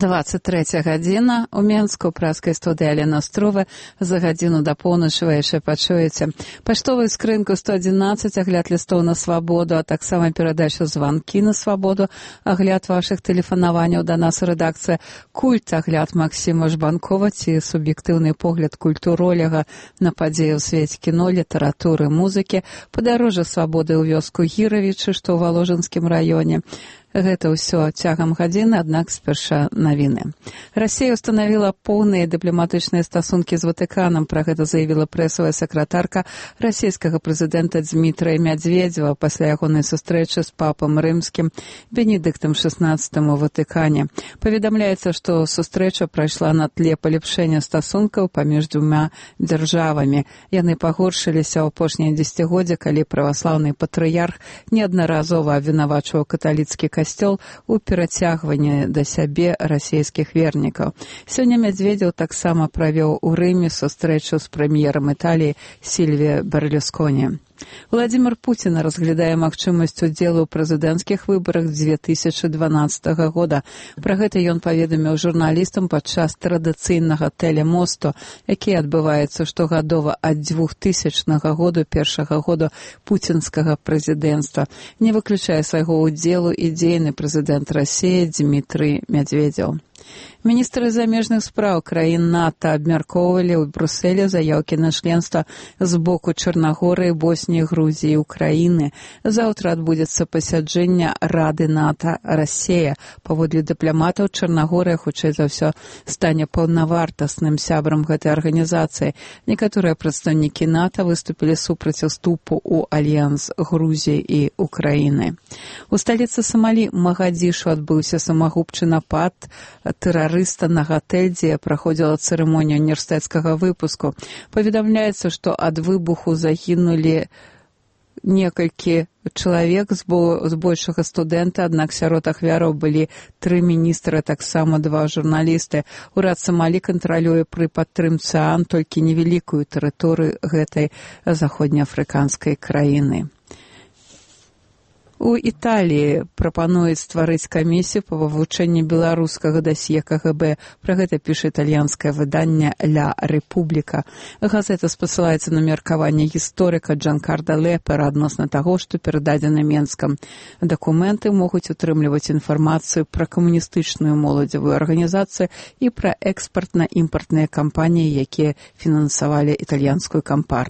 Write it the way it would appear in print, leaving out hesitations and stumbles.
23 гадзіна у Менску ў праскай студыі Алена Струва. За гадзіну да поўначы вы яшчэ пачуеце паштовую скрынку 111, агляд лістоў на свабоду, а таксама перадачу званкі на свабоду, агляд вашых тэлефанаванняў да нас рэдакцыя, культ, агляд Максіма Жбанкова ці суб'ектыўны погляд культуролага на падзеі ў свеце кіно, літаратуры, музыкі, падарожжа свабоды ў вёску Гіравічы, што ў Валожынскім раёне. Гэта ўсё цягам гадзіны, аднак спярша навіны. Расія ўстанавіла поўныя дыпламатычныя стасункі з Ватыканам. Пра гэта заявіла прэсавая сакратарка расійскага прэзідэнта Дзмітрая Мядзведзева пасля ягонай сустрэчы з папам рымскім Бенедыктам XVI у Ватыкане. Паведамляецца, што сустрэча прайшла на тле палепшэння стасункаў паміж двума дзяржавамі. Яны пагоршыліся ў апошнія дзесяцігоддзі, калі праваслаўны патрыярх неаднаразова абвінавачваў каталіцкі касцёл у перацягванні да сябе расійскіх вернікаў. Сёння Мядзведзеў таксама правёў у Рыме сустрэчу з прэм'ерам Італіі Сільвіа Берлусконі. Владзімір Пуцін разглядае магчымасць удзелу ў прэзідэнцкіх выбарах 2012 года. Пра гэта ён паведаміў журналістам падчас традыцыйнага тэлемосту, які адбываецца штогадова ад 2000 году, першага года пуцінскага прэзідэнцтва. Не выключае свайго ўдзелу і дзейны прэзідэнт Расіі Дзмітрый Мядзведзеў. Міністры замежных спраў краін НАТО абмяркоўвалі ў Брусэлі заяўкі на членства з боку Чарнагорыі, Босніі, Грузіі і Украіны. Заўтра адбудзецца пасяджэнне Рады НАТО Расія. Паводле дыпламатаў, Чарнагорыя, хутчэй за ўсё, стане паўнавартасным сябрам гэтай арганізацыі. Некаторыя прадстаўнікі НАТО выступілі супраць уступу ў альянс Грузіі і Украіны. У сталіцы Самалі Магадзішу адбыўся самагубчы напад тэрарыста на гатэль, дзе праходзіла цырымонія універсітэцкага выпуску. Паведамляецца, што ад выбуху загінулі некалькі чалавек, збольшага студэнта, аднак сярод ахвяраў былі 3 міністры, таксама 2 журналісты. Урад Самалі кантралюе пры падтрымцы ААН толькі невялікую тэрыторыю гэтай заходнеафрыканскай краіны. У Італіі прапануюць стварыць камісію па вывучэнні беларускага дасье КГБ. Пра гэта піша італьянскае выданне «Ля Рэпубліка». Газета спасылаецца на меркаванне гісторыка Джанкарда Лепера адносна таго, што перададзены Менскам. Дакументы могуць утрымліваць інфармацыю пра камуністычную моладзевую арганізацыю і пра экспартна-імпартныя кампаніі, якія фінансавалі італьянскую кампартыю.